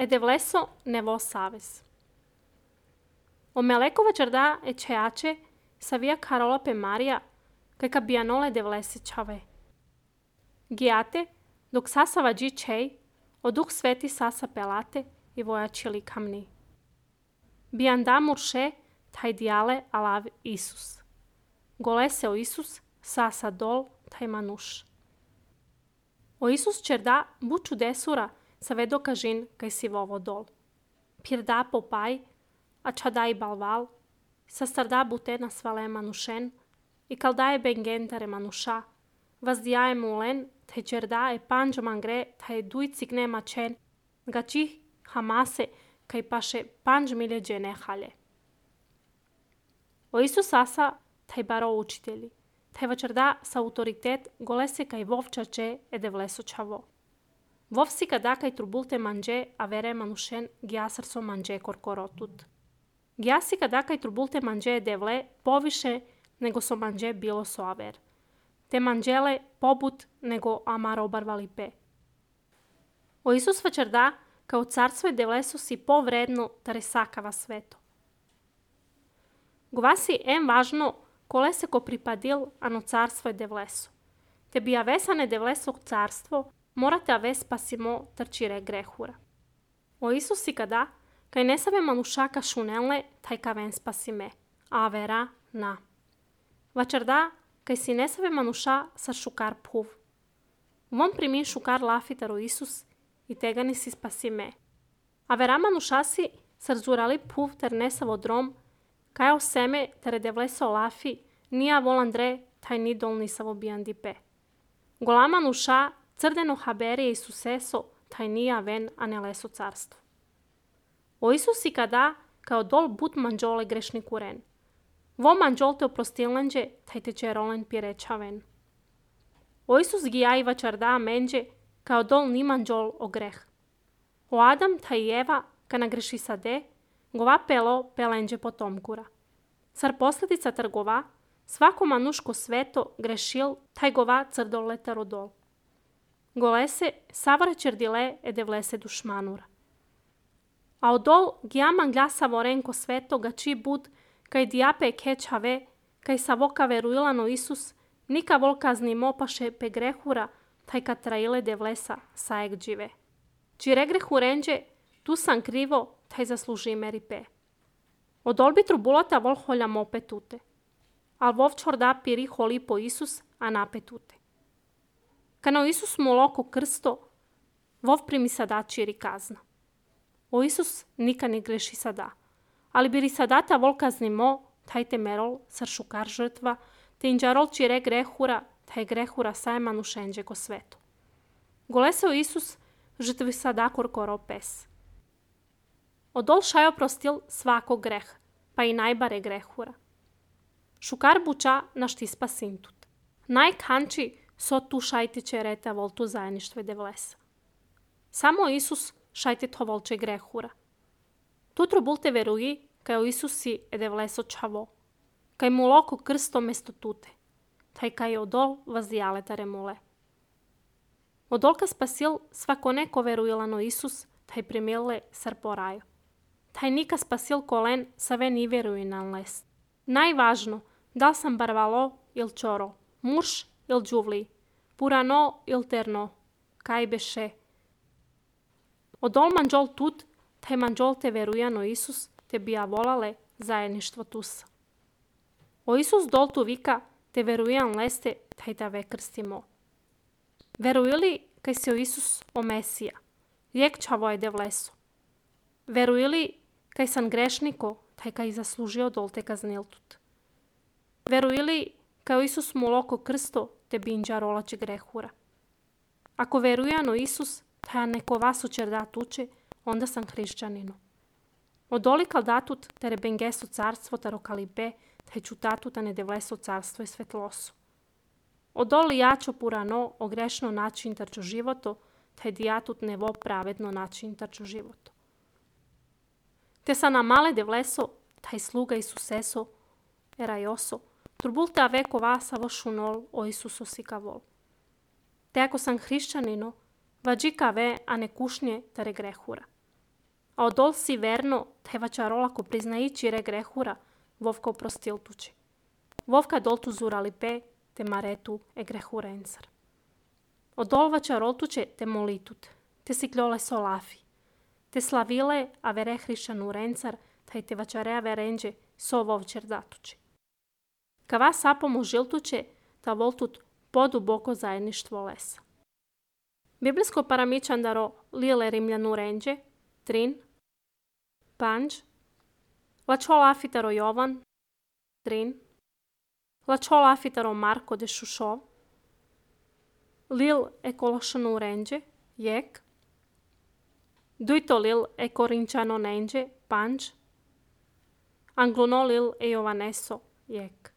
e devleso ne vo sabes. O melekova cerda e ceace savia carola pe Maria, că cabianole devlese ceave. Ghiate, dok sasa vagi cei, o Duh Sveti sasa pelate i vojačili kamni. Bianda murše, taj diale alav Isus. Golese o Isus, sasa dol, taj manuš. O Isus cerda buču desura, sa vedo kažin kaj si vovo dol. Pirda popai, a čadai balval, sa starda bute na svale manušen, i kaldaje bengentare manuša, vazdiaje mulen, te cerda e panjo mangre, te dujcigne mačen, gači hamase, kaj paše 5 milje ne halje. O Isus asa, taj baro učitelji, taj vačerda sa autoritet golese kaj vovčače e devleso čavo. Vovsi kada kaj trubulte manje, a vere manušen giasar so manje korkorotut. Giasi kada kaj trubulte manje devle poviše nego so manje bilo so aver. Te manjele pobut nego amaro barvali pe. O Isus vačerda kao carstvo i devleso si povredno tare sakava sveto. Govasi važno kole se ko pripadil ano carstvo i devleso. Te bi avesane devleso carstvo, morate aves pasimo trčire grehura. O Isus i kada, kaj ne save manušaka šunelne, taj kaven spasime, a vera na. Vačerda, kaj si ne save manuša sa šukar puv. Vom primi šukar lafitaro Isus, i tega ni si spasime. A vera manušasi sarzurali puv ter nesavo drom, kaj o seme tere devleso lafi, nija volandre, taj ni dolni savo bijandi pe. Gola manuša, crdeno haberije Isuseso, taj nija ven, a ne leso carstvo. O Isus i kada, kao dol but manđole grešni kuren. Vo manđol te oprostilnđe, taj te čerolen pirečaven. O Isus gijai vačarda menđe, kao dol ni manđol o greh. O Adam taj i Eva, ka nagreši sade, gova pelo pelenđe potomkura. Car posljedica trgova, svako manuško sveto grešil, taj gova crdole tarodol. Golese savare čerdile e devlese dušmanura. A odol gijaman glasa vorenko sveto gači bud, kaj diape kečave, kaj savoka veruilano Isus, nika volkazni mopaše pe grehura, taj katraile devlesa saek džive. Čire grehurenđe, tu sam krivo, taj zasluži meri pe. Odol bi trubulata vol holja mope tute. Al vov čorda piri holi po Isus, a nape tute. Kano Isus mu loko krsto, vov primi sada čiri kazna. O Isus nika ne greši sada. Ali biri sadata vol kazni mo, taj te merol, sar šukar žrtva, te inđarol čire grehura, taj grehura sajmanu šenđe ko svetu. Goleseo Isus žrtvi sada korkoro pes. Odol šajo prostil svako greh, pa i najbare grehura. Šukar buča našti spasintut. Najkanči so tu šajte čereta voltu zajedništve devlesa. Samo Isus šajte to volče grehura. Tutro bulte veruji, kaj o Isusi e devleso čavo, kaj mu loko krsto mesto tute, taj kaj odol vazdijale tare mule. Odolka spasil svako neko veruilano Isus, taj primile sar poraju. Taj nika spasil kolen sa ve ni veruinan les. Najvažno, da sam barvalo il čoro, muš il džuvli, purano il terno, kaj beše. Odol manđol tut, taj manđol te verujano Isus, te bija volale zajedništvo tusa. O Isus dol tu vika, te verujan leste, taj ta ve krstimo. Verujili kaj se o Isus o Mesija, lijek čavo je devleso. Verujili kaj sam grešniko, taj kaj zaslužio dol te kazniltut. Verujili kaj o Isus mu loko krsto, te binđa rolače grehura. Ako verujano Isus, taj neko vas učerda tuče, onda sam hrišćanino. Odoli kaldatut tere bengeso carstvo taro kalibe, taj čutatut a ne devleso carstvo i svetlosu. Odoli jačo purano o grešno način tarčo životo, taj dijatut nevo pravedno način tarčo životo. Te sa na male devleso, taj sluga Isuseso, erajoso, turbulte aveko vasa vo šunol o Isuso sikavol. Te ako sam hrišćanino, vađika ve a ne kušnje tare grehura. a odol si verno tevača rolako priznaići regrehura Vovka prostiltuči. Vovka doltu zurali pe te maretu egrehura ensar. Odolvača roltuče te molitut, te sikljole solafi, te slavile a verehrišanu rencar, taj te vačarea verenđe so vovčer datuči. Kava sapomu žiltuče, ta voltut poduboko zajedništvo lesa. Biblijsko paramičandaro lile rimljanu renđe, trin, panđ, lačola afitaro Jovan, trin, lačola afitaro Marko de Šušov, lil ekološanu renđe, jek, dujto lil ekorinčano nenđe, panđ, angluno lil e Jovaneso, jek.